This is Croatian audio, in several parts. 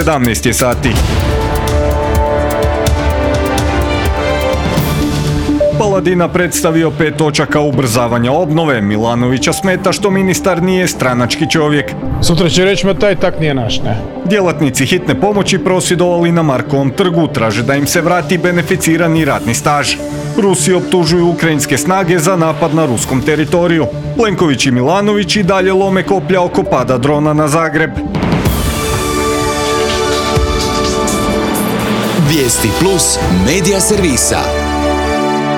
17 je sati. Paladina predstavio 5 točaka ubrzavanja obnove. Milanovića smeta što ministar nije stranački čovjek. Sutra će reći ma taj tak nije naš, ne? Djelatnici hitne pomoći prosvjedovali na Markovom trgu, traže da im se vrati beneficirani radni staž. Rusi optužuju ukrajinske snage za napad na ruskom teritoriju. Plenković i Milanović i dalje lome koplja oko pada drona na Zagreb. Vijesti plus medija servisa.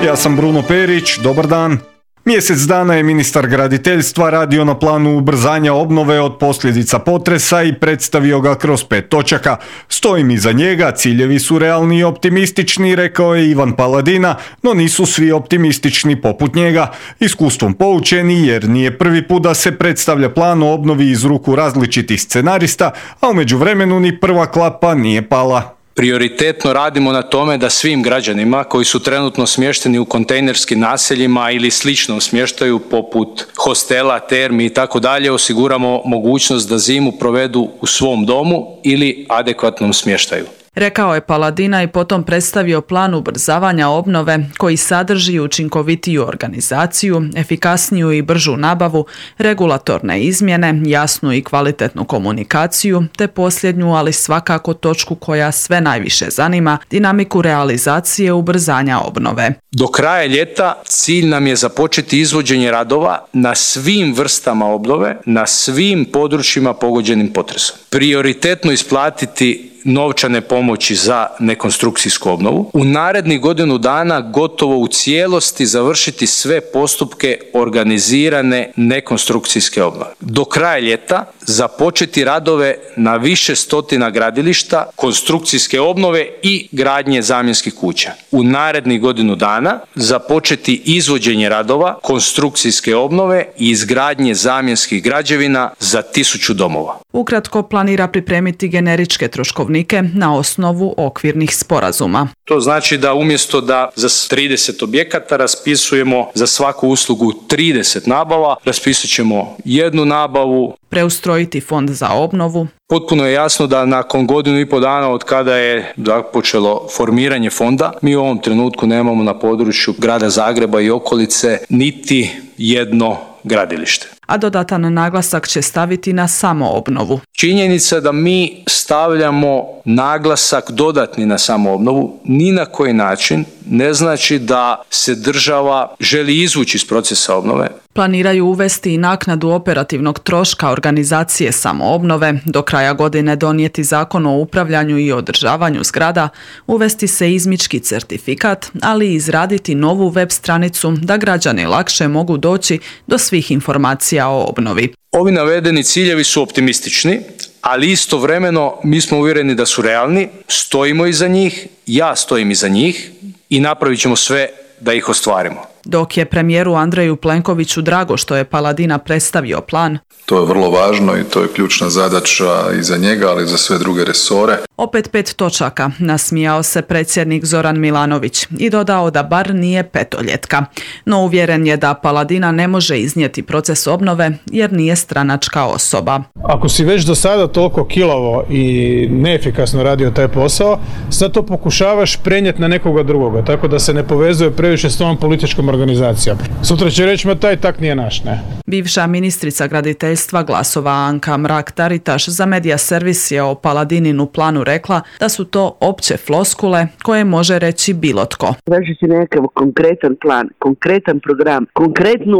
Ja sam Bruno Perić, dobar dan. Mjesec dana je ministar graditeljstva radio na planu ubrzanja obnove od posljedica potresa i predstavio ga kroz 5 točaka. Stojim iza njega, ciljevi su realni i optimistični, rekao je Ivan Paladina, no nisu svi optimistični poput njega. Iskustvom poučeni jer nije prvi put da se predstavlja plan o obnovi iz ruku različitih scenarista, a u međuvremenu ni prva klapa nije pala. Prioritetno radimo na tome da svim građanima koji su trenutno smješteni u kontejnerskim naseljima ili sličnom smještaju poput hostela, termi i tako dalje osiguramo mogućnost da zimu provedu u svom domu ili adekvatnom smještaju. Rekao je Paladina i potom predstavio plan ubrzavanja obnove koji sadrži učinkovitiju organizaciju, efikasniju i bržu nabavu, regulatorne izmjene, jasnu i kvalitetnu komunikaciju, te posljednju, ali svakako točku koja sve najviše zanima, dinamiku realizacije ubrzanja obnove. Do kraja ljeta cilj nam je započeti izvođenje radova na svim vrstama obnove, na svim područjima pogođenim potresom. Prioritetno isplatiti novčane pomoći za nekonstrukcijsku obnovu. U narednih godinu dana gotovo u cijelosti završiti sve postupke organizirane nekonstrukcijske obnove. Do kraja ljeta započeti radove na više stotina gradilišta, konstrukcijske obnove i gradnje zamjenskih kuća. U narednih godinu dana započeti izvođenje radova, konstrukcijske obnove i izgradnje zamjenskih građevina za 1000 domova. Ukratko planira pripremiti generičke troškovnike na osnovu okvirnih sporazuma. To znači da umjesto da za 30 objekata raspisujemo za svaku uslugu 30 nabava, raspisat ćemo jednu nabavu. Preustrojiti fond za obnovu. Potpuno je jasno da nakon 1,5 godina od kada je započelo formiranje fonda, mi u ovom trenutku nemamo na području grada Zagreba i okolice niti jedno gradilište. A dodatan naglasak će staviti na samoobnovu. Činjenica da mi stavljamo naglasak dodatni na samoobnovu ni na koji način ne znači da se država želi izvući iz procesa obnove. Planiraju uvesti i naknadu operativnog troška organizacije samoobnove, do kraja godine donijeti zakon o upravljanju i održavanju zgrada, uvesti se izmički certifikat, ali i izraditi novu web stranicu da građani lakše mogu doći do svih informacija o obnovi. Ovi navedeni ciljevi su optimistični, ali istovremeno mi smo uvjereni da su realni, stojimo iza njih, ja stojim iza njih i napravit ćemo sve da ih ostvarimo. Dok je premijeru Andreju Plenkoviću drago što je Paladina predstavio plan. To je vrlo važno i to je ključna zadaća i za njega, ali i za sve druge resore. Opet 5 točaka, nasmijao se predsjednik Zoran Milanović i dodao da bar nije petoljetka. No uvjeren je da Paladina ne može iznijeti proces obnove jer nije stranačka osoba. Ako si već do sada toliko kilavo i neefikasno radio taj posao, sad to pokušavaš prenijeti na nekoga drugoga, tako da se ne povezuje previše s tom političkom organizacijom. Sutra će reći ma taj tak nije naš, ne? Bivša ministrica graditeljstva Glasova Anka Mrak-Taritaš za Medija servis je o Paladininu planu rekla da su to opće floskule koje može reći bilo tko. Traži se nekakav konkretan plan, konkretan program,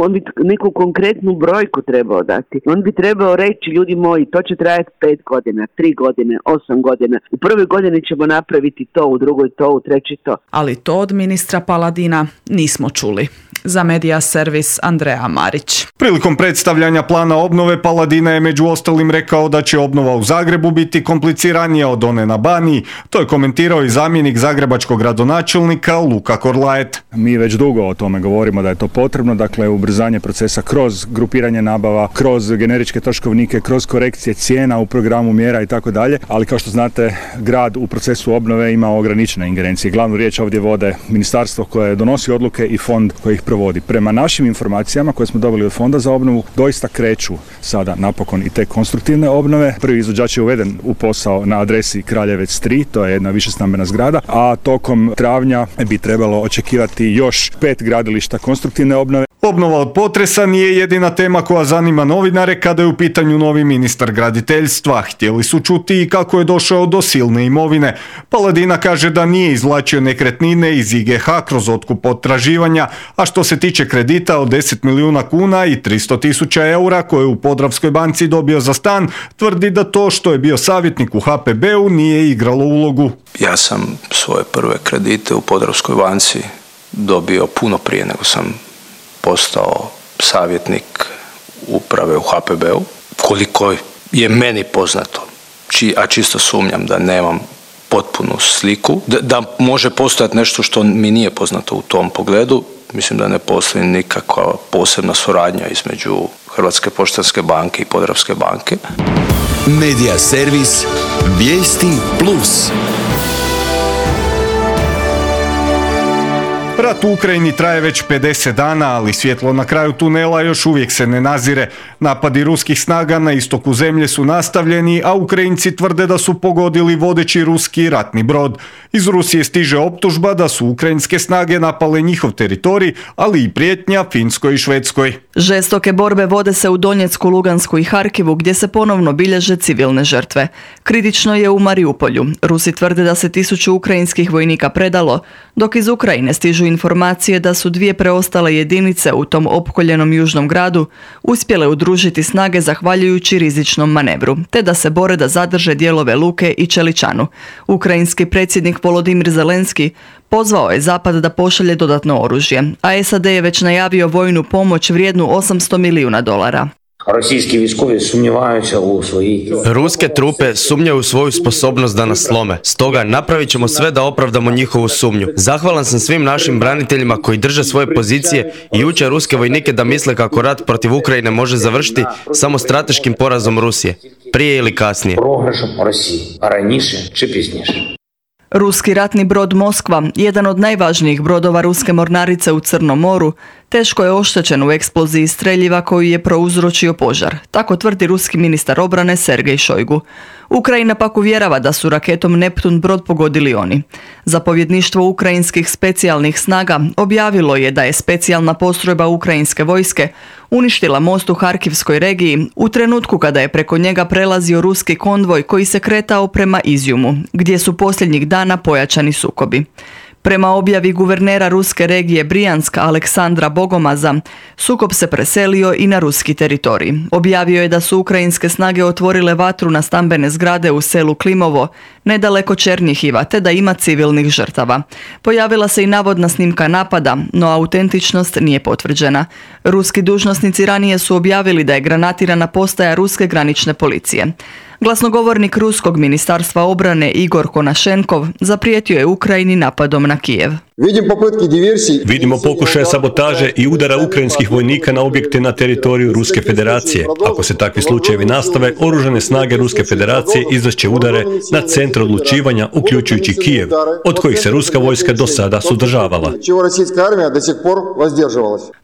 on bi neku konkretnu brojku trebao dati. On bi trebao reći, ljudi moji, to će trajati 5 godina, 3 godine, 8 godina. U prvoj godini ćemo napraviti to, u drugoj to, u trećoj to. Ali to od ministra Paladina nismo čuli. Za Medija servis Andreja Marić. Prilikom predstavljanja plana obnove Paladina je među ostalim rekao da će obnova u Zagrebu biti kompliciranija od one na Baniji. To je komentirao i zamjenik zagrebačkog gradonačelnika Luka Korlaet. Mi već dugo o tome govorimo da je to potrebno, dakle ubrzanje procesa kroz grupiranje nabava, kroz generičke troškovnike, kroz korekcije cijena u programu mjera i tako dalje, ali kao što znate grad u procesu obnove ima ograničene ingerencije. Glavnu riječ ovdje vode ministarstvo koje donosi odluke i fond koji ih provodi. Prema našim informacijama koje smo dobili od Fonda za obnovu, doista kreću sada napokon i te konstruktivne obnove. Prvi izvođač je uveden u posao na adresi Kraljevec 3, to je jedna višestambena zgrada, a tokom travnja bi trebalo očekivati još 5 gradilišta konstruktivne obnove. Obnova od potresa nije jedina tema koja zanima novinare kada je u pitanju novi ministar graditeljstva. Htjeli su čuti i kako je došao do silne imovine. Paladina kaže da nije izvlačio nekretnine iz IGH kroz otkup potraživanja, a što se tiče kredita od 10 milijuna kuna i 300.000 eura koje je u Podravskoj banci dobio za stan, tvrdi da to što je bio savjetnik u HPB-u nije igralo ulogu. Ja sam svoje prve kredite u Podravskoj banci dobio puno prije nego sam postao savjetnik uprave u HPB-u. Koliko je meni poznato, a čisto sumnjam da nemam potpunu sliku, da može postojati nešto što mi nije poznato u tom pogledu. Mislim da ne postoji nikakva posebna suradnja između Hrvatske poštanske banke i Podravske banke. Medija servis Vijesti Plus. Rat u Ukrajini traje već 50 dana, ali svjetlo na kraju tunela još uvijek se ne nazire. Napadi ruskih snaga na istoku zemlje su nastavljeni, a Ukrajinci tvrde da su pogodili vodeći ruski ratni brod. Iz Rusije stiže optužba da su ukrajinske snage napale njihov teritorij, ali i prijetnja Finskoj i Švedskoj. Žestoke borbe vode se u Donjecku, Lugansku i Harkivu, gdje se ponovno bilježe civilne žrtve. Kritično je u Mariupolju. Rusi tvrde da se 1000 ukrajinskih vojnika predalo, dok iz Ukrajine stižu informacije da su 2 preostale jedinice u tom opkoljenom južnom gradu uspjele udružiti snage zahvaljujući rizičnom manevru, te da se bore da zadrže dijelove Luke i Čeličanu. Ukrajinski predsjednik Volodimir Zelenski pozvao je Zapad da pošalje dodatno oružje, a SAD je već najavio vojnu pomoć vrijednu $800 milijuna. Ruske trupe sumnjaju u svoju sposobnost da nas slome. Stoga napravit ćemo sve da opravdamo njihovu sumnju. Zahvalan sam svim našim braniteljima koji drže svoje pozicije i uče ruske vojnike da misle kako rat protiv Ukrajine može završiti samo strateškim porazom Rusije, prije ili kasnije. Ruski ratni brod Moskva, jedan od najvažnijih brodova ruske mornarice u Crnom moru, teško je oštećen u eksploziji streljiva koju je prouzročio požar. Tako tvrdi ruski ministar obrane Sergej Šojgu. Ukrajina pak uvjerava da su raketom Neptun brod pogodili oni. Zapovjedništvo ukrajinskih specijalnih snaga objavilo je da je specijalna postrojba ukrajinske vojske uništila most u Harkivskoj regiji u trenutku kada je preko njega prelazio ruski konvoj koji se kretao prema Izjumu, gdje su posljednjih dana pojačani sukobi. Prema objavi guvernera ruske regije Brijansk Aleksandra Bogomaza, sukob se preselio i na ruski teritorij. Objavio je da su ukrajinske snage otvorile vatru na stambene zgrade u selu Klimovo, nedaleko Černjihiva, te da ima civilnih žrtava. Pojavila se i navodna snimka napada, no autentičnost nije potvrđena. Ruski dužnosnici ranije su objavili da je granatirana postaja ruske granične policije. Glasnogovornik ruskog ministarstva obrane Igor Konašenkov zaprijetio je Ukrajini napadom na Kijev. Vidimo pokušaje sabotaže i udara ukrajinskih vojnika na objekte na teritoriju Ruske federacije. Ako se takvi slučajevi nastave, oružane snage Ruske federacije izvešće udare na centre odlučivanja, uključujući Kijev, od kojih se ruska vojska do sada sudržavala.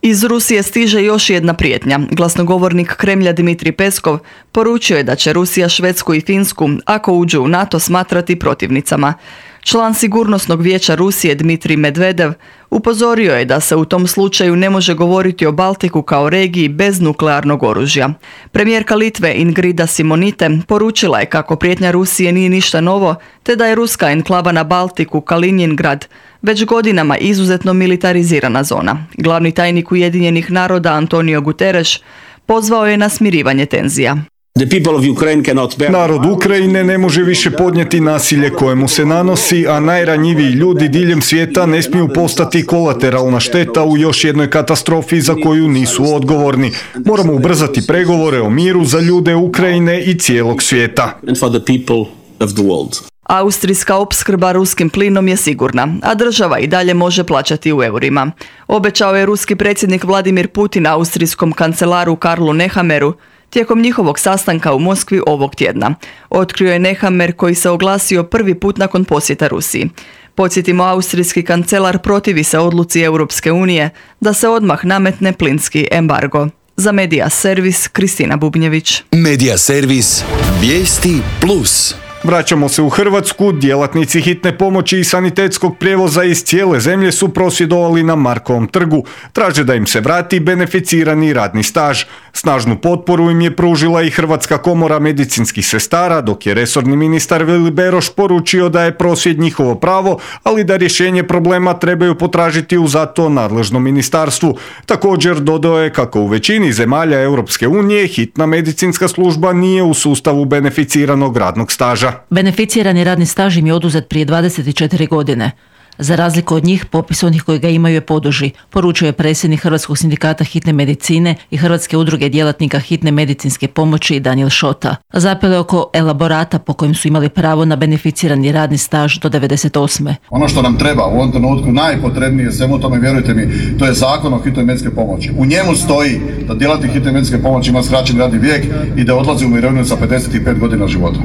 Iz Rusije stiže još jedna prijetnja. Glasnogovornik Kremlja Dmitrij Peskov poručio je da će Rusija Švedsku i Finsku, ako uđu u NATO, smatrati protivnicama. Član Sigurnosnog vijeća Rusije Dmitrij Medvedev upozorio je da se u tom slučaju ne može govoriti o Baltiku kao regiji bez nuklearnog oružja. Premijerka Litve Ingrida Simonite poručila je kako prijetnja Rusije nije ništa novo, te da je ruska enklava na Baltiku Kaliningrad već godinama izuzetno militarizirana zona. Glavni tajnik Ujedinjenih naroda Antonio Guterres pozvao je na smirivanje tenzija. Narod Ukrajine ne može više podnijeti nasilje kojemu se nanosi, a najranjiviji ljudi diljem svijeta ne smiju postati kolateralna šteta u još jednoj katastrofi za koju nisu odgovorni. Moramo ubrzati pregovore o miru za ljude Ukrajine i cijelog svijeta. Austrijska opskrba ruskim plinom je sigurna, a država i dalje može plaćati u eurima. Obećao je ruski predsjednik Vladimir Putin austrijskom kancelaru Karlu Nehammeru tijekom njihovog sastanka u Moskvi ovog tjedna. Otkrio je Nehammer koji se oglasio prvi put nakon posjeta Rusiji. Podsjetimo, austrijski kancelar protivi se odluci Europske unije da se odmah nametne plinski embargo. Za Medija Servis, Kristina Bubnjević. Medija Servis, vijesti plus. Vraćamo se u Hrvatsku. Djelatnici hitne pomoći i sanitetskog prijevoza iz cijele zemlje su prosvjedovali na Markovom trgu. Traže da im se vrati beneficirani radni staž. Snažnu potporu im je pružila i Hrvatska komora medicinskih sestara, dok je resorni ministar Vili Beroš poručio da je prosvjed njihovo pravo, ali da rješenje problema trebaju potražiti u za to nadležnom ministarstvu. Također dodao je kako u većini zemalja Europske unije hitna medicinska služba nije u sustavu beneficiranog radnog staža. Beneficirani radni staž im je oduzet prije 24 godine. Za razliku od njih, popis onih koji ga imaju je poduži, poručuje je predsjednik Hrvatskog sindikata hitne medicine i Hrvatske udruge djelatnika hitne medicinske pomoći Daniel Šota. Zapelo je oko elaborata po kojem su imali pravo na beneficirani radni staž do 98. Ono što nam treba u ovom trenutku najpotrebnije svemu tome, vjerujte mi, to je zakon o hitnoj medicinskoj pomoći. U njemu stoji da djelatnik hitne medicinske pomoći ima skraćeni radni vijek i da odlazi u mirovinu sa 55 godina života.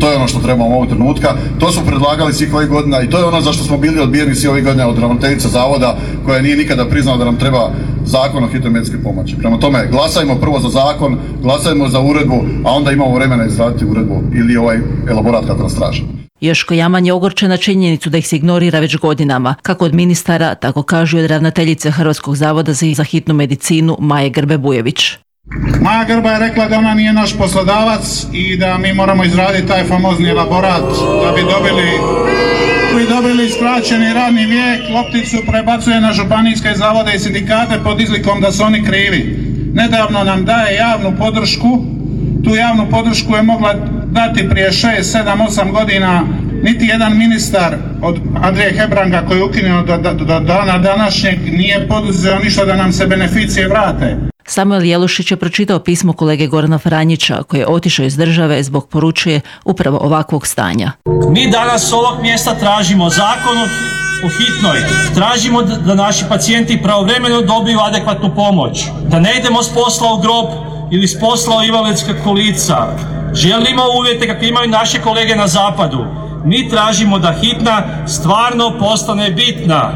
To je ono što trebamo u ovog trenutka. To su predlagali svih ovih godina i to je ono za što smo bili odbijeni svi ovih godina od ravnateljice zavoda koja nije nikada priznala da nam treba zakon o hitnoj medicinskoj pomoći. Prema tome, glasajmo prvo za zakon, glasajmo za uredbu, a onda imamo vremena izraditi uredbu ili ovaj elaborat kako nas traži. Joško Jaman je ogorčen na činjenicu da ih se ignorira već godinama, kako od ministara, tako kažu i od ravnateljice Hrvatskog zavoda za hitnu medicinu Maje Grbe-Bujević. Maja Grba je rekla da ona nije naš poslodavac i da mi moramo izraditi taj famozni elaborat da bi dobili skraćeni radni vijek. Lopticu prebacuje na županijske zavode i sindikate pod izlikom da su oni krivi. Nedavno nam daje javnu podršku. Tu javnu podršku je mogla dati prije 6, 7, 8 godina niti jedan ministar od Andrije Hebranga koji je ukinuo do dana današnjeg nije poduzeo ništa da nam se beneficije vrate. Samuel Jelušić je pročitao pismo kolege Gorana Franjića koji je otišao iz države zbog, poručuje, upravo ovakvog stanja. Mi danas s ovog mjesta tražimo zakon o hitnoj. Tražimo da naši pacijenti pravovremeno dobiju adekvatnu pomoć. Da ne idemo s posla u grob ili s posla u invalidska kolica. Želimo uvjete kakve imaju naše kolege na zapadu. Mi tražimo da hitna stvarno postane bitna.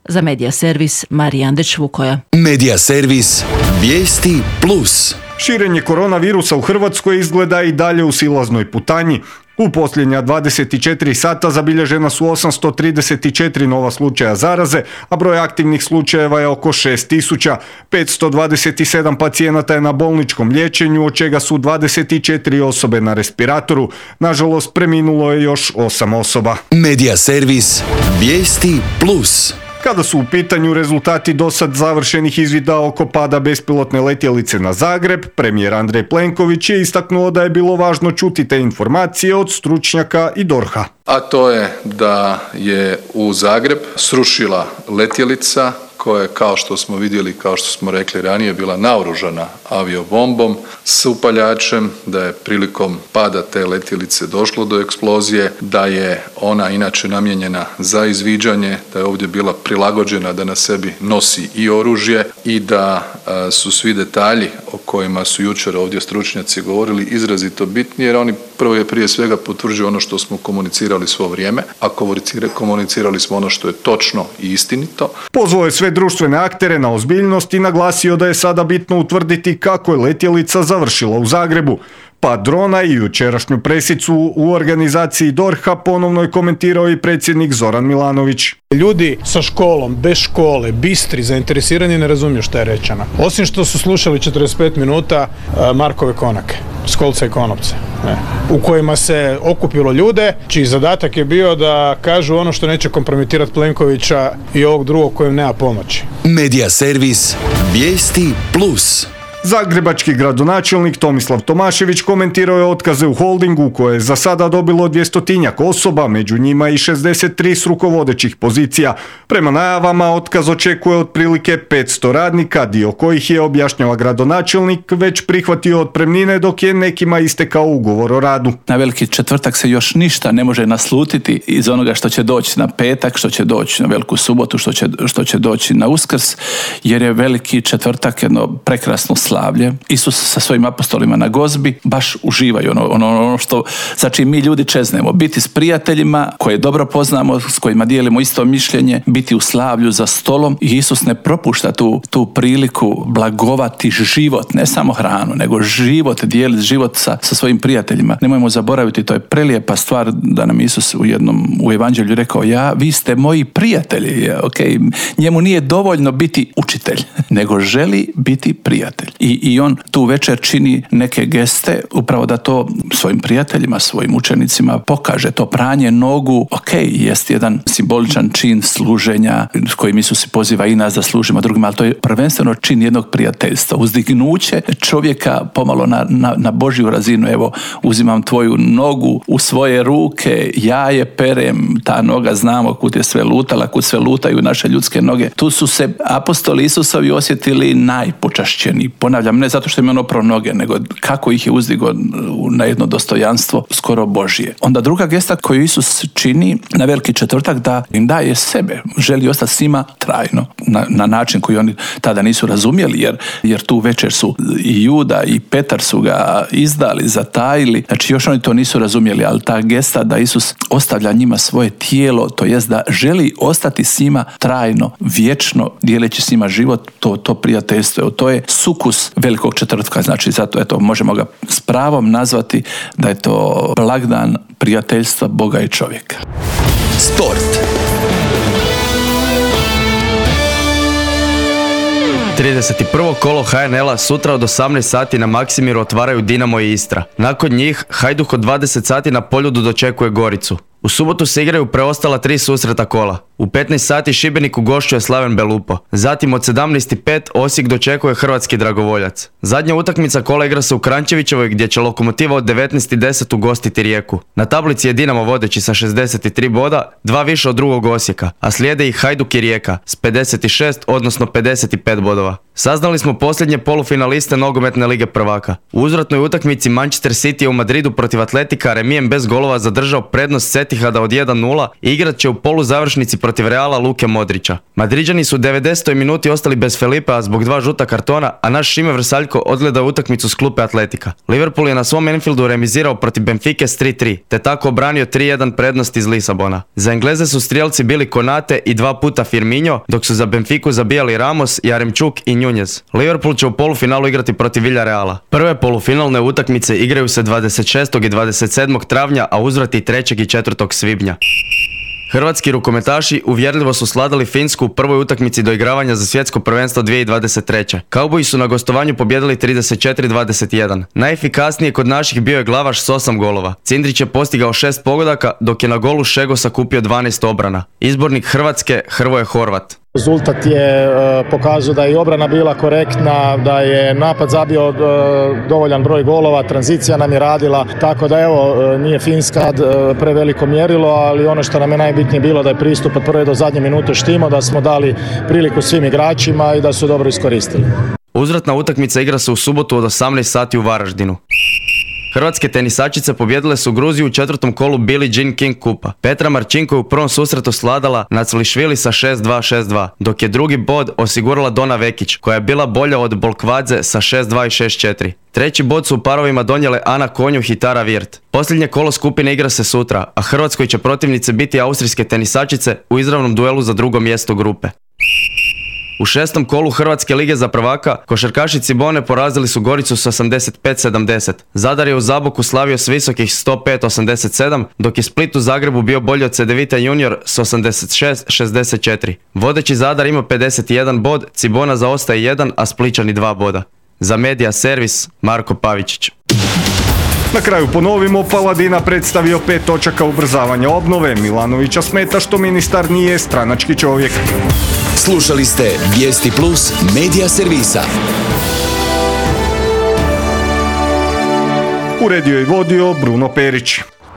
Za Medija Servis, Marija Andeć-Vukoja. Medija Servis, vijesti plus. Širenje koronavirusa u Hrvatskoj izgleda i dalje u silaznoj putanji. U posljednja 24 sata zabilježena su 834 nova slučaja zaraze, a broj aktivnih slučajeva je oko 6000. 527 pacijenata je na bolničkom liječenju, od čega su 24 osobe na respiratoru. Nažalost, preminulo je još 8 osoba. Medija Servis, vijesti plus. Kada su u pitanju rezultati dosad završenih izvida oko pada bespilotne letjelice na Zagreb, premijer Andrej Plenković je istaknuo da je bilo važno čuti te informacije od stručnjaka i DORH-a. A to je da je u Zagreb srušila letjelica koja je, kao što smo vidjeli, kao što smo rekli ranije, bila naoružana aviobombom s upaljačem, da je prilikom pada te letjelice došlo do eksplozije, da je ona inače namijenjena za izviđanje, da je ovdje bila prilagođena da na sebi nosi i oružje i da su svi detalji o kojima su jučer ovdje stručnjaci govorili izrazito bitni, jer oni prije svega potvrđuju ono što smo komunicirali svo vrijeme, a komunicirali smo ono što je točno i istinito. Pozvao je sve društvene aktere na ozbiljnost i naglasio da je sada bitno utvrditi kako je letjelica završila u Zagrebu. Pa drona i jučerašnju presicu u organizaciji DORH-a ponovno je komentirao i predsjednik Zoran Milanović. Ljudi sa školom, bez škole, bistri, zainteresirani ne razumiju šta je rečeno. Osim što su slušali 45 minuta Markove konake, Skolca i Konopce, u kojima se okupilo ljude, čiji zadatak je bio da kažu ono što neće kompromitirati Plenkovića i ovog drugog kojem nema pomoći. Medija Servis, vijesti plus. Zagrebački gradonačelnik Tomislav Tomašević komentirao je otkaze u holdingu koje je za sada dobilo 200-tinjak osoba, među njima i 63 s rukovodećih pozicija. Prema najavama otkaz očekuje otprilike 500 radnika, dio kojih je, objašnjava gradonačelnik, već prihvatio otpremnine dok je nekima istekao ugovor o radu. Na Veliki četvrtak se još ništa ne može naslutiti iz onoga što će doći na petak, što će doći na Veliku subotu, što će doći na Uskrs, jer je Veliki četvrtak jedno prekrasno slavlje. Isus sa svojim apostolima na gozbi baš uživaju ono što za čim mi ljudi čeznemo. Biti s prijateljima koje dobro poznamo, s kojima dijelimo isto mišljenje, biti u slavlju za stolom i Isus ne propušta tu priliku blagovati život, ne samo hranu, nego život, dijeliti život sa svojim prijateljima. Nemojmo zaboraviti, to je prelijepa stvar da nam Isus u evanđelju rekao, vi ste moji prijatelji. Okay. Njemu nije dovoljno biti učitelj, nego želi biti prijatelj. I on tu večer čini neke geste upravo da to svojim prijateljima, svojim učenicima pokaže. To pranje nogu, jest jedan simboličan čin služenja s kojim Isus poziva i nas da služimo drugima, ali to je prvenstveno čin jednog prijateljstva. Uzdignuće čovjeka pomalo na Božju razinu. Evo, uzimam tvoju nogu u svoje ruke, ja je perem, ta noga znamo kud je sve lutala, kud sve lutaju naše ljudske noge. Tu su se apostoli Isusovi osjetili najpočašćeniji. Ponavljam, ne zato što im je ono pro noge, nego kako ih je uzdigo na jedno dostojanstvo skoro Božje. Onda druga gesta koju Isus čini na Veliki četvrtak, da im daje sebe. Želi ostati s njima trajno. Na način koji oni tada nisu razumjeli, jer tu večer su i Juda i Petar su ga izdali, zatajili. Znači još oni to nisu razumjeli, ali ta gesta da Isus ostavlja njima svoje tijelo, to jest da želi ostati s njima trajno, vječno, dijeleći s njima život, to prijateljstvo. To je sukus Velikog četvrtka. Znači zato možemo ga s pravom nazvati da je to blagdan prijateljstva Boga i čovjeka. Sport. 31. kolo HNL-a sutra od 18 sati na Maksimiru otvaraju Dinamo i Istra. Nakon njih Hajduk od 20 sati na Poljudu dočekuje Goricu. U subotu se igraju preostala 3 susreta kola. U 15 sati Šibenik ugošćuje Slaven Belupo. Zatim od 17:05 Osijek dočekuje Hrvatski Dragovoljac. Zadnja utakmica kola igra se u Kranjčevićevoj gdje će Lokomotiva od 19:10 ugostiti Rijeku. Na tablici je Dinamo vodeći sa 63 boda, 2 više od drugog Osijeka, a slijede i Hajduk i Rijeka s 56 odnosno 55 bodova. Saznali smo posljednje polufinaliste nogometne lige prvaka. U uzvratnoj utakmici Manchester City je u Madridu protiv Atletika remijem bez golova zadržao prednost Setihada od 1:0 i igrat će u poluzavršnici protiv Reala Luke Modrića. Madriđani su u 90. minuti ostali bez Felipea zbog 2 žuta kartona, a naš Šime Vrsaljko odgledao utakmicu s klupe Atletika. Liverpool je na svom Anfieldu remizirao protiv Benfike s 3:3, te tako obranio 3:1 prednost iz Lisabona. Za Engleze su strijelci bili Konate i 2 puta Firmino, dok su za Benfiku zabijali Ramos, Jaremčuk i Nunez. Liverpool će u polufinalu igrati protiv Villareala. Prve polufinalne utakmice igraju se 26. i 27. travnja, a uzvrati 3. i 4. svibnja. Hrvatski rukometaši uvjerljivo su sladali Finsku u prvoj utakmici doigravanja za svjetsko prvenstvo 2023. Kauboji su na gostovanju pobjedili 34-21. Najefikasnije kod naših bio je Glavaš s 8 golova. Cindrić je postigao 6 pogodaka, dok je na golu Šego sakupio 12 obrana. Izbornik Hrvatske Hrvoje Horvat. Rezultat je pokazao da je i obrana bila korektna, da je napad zabio dovoljan broj golova, tranzicija nam je radila, tako da nije Finska preveliko mjerilo, ali ono što nam je najbitnije bilo da je pristup od prve do zadnje minute štimo, da smo dali priliku svim igračima i da su dobro iskoristili. Uzvratna utakmica igra se u subotu od 18 sati u Varaždinu. Hrvatske tenisačice pobjedile su Gruziju u 4. kolu Billie Jean King kupa. Petra Marčinko je u prvom susretu sladala Naclišvili sa 6-2-6-2, dok je drugi bod osigurala Dona Vekić, koja je bila bolja od Bolkvadze sa 6-2 i 6-4. Treći bod su u parovima donijele Ana Konjuh i Tara Virt. Posljednje kolo skupine igra se sutra, a Hrvatskoj će protivnice biti austrijske tenisačice u izravnom duelu za drugo mjesto grupe. U 6. kolu Hrvatske lige za prvaka, košarkaši Cibone porazili su Goricu s 85-70. Zadar je u Zaboku slavio s visokih 105-87, dok je Split u Zagrebu bio bolji od Cedevita Junior s 86-64. Vodeći Zadar ima 51 bod, Cibona zaostaje 1, a Spličani 2 boda. Za Medija servis, Marko Pavičić. Na kraju ponovimo, Paladina predstavio 5 točaka ubrzavanja obnove. Milanovića smeta što ministar nije stranački čovjek. Slušali ste Vijesti Plus Medija servisa. Uredio i vodio Bruno Perić.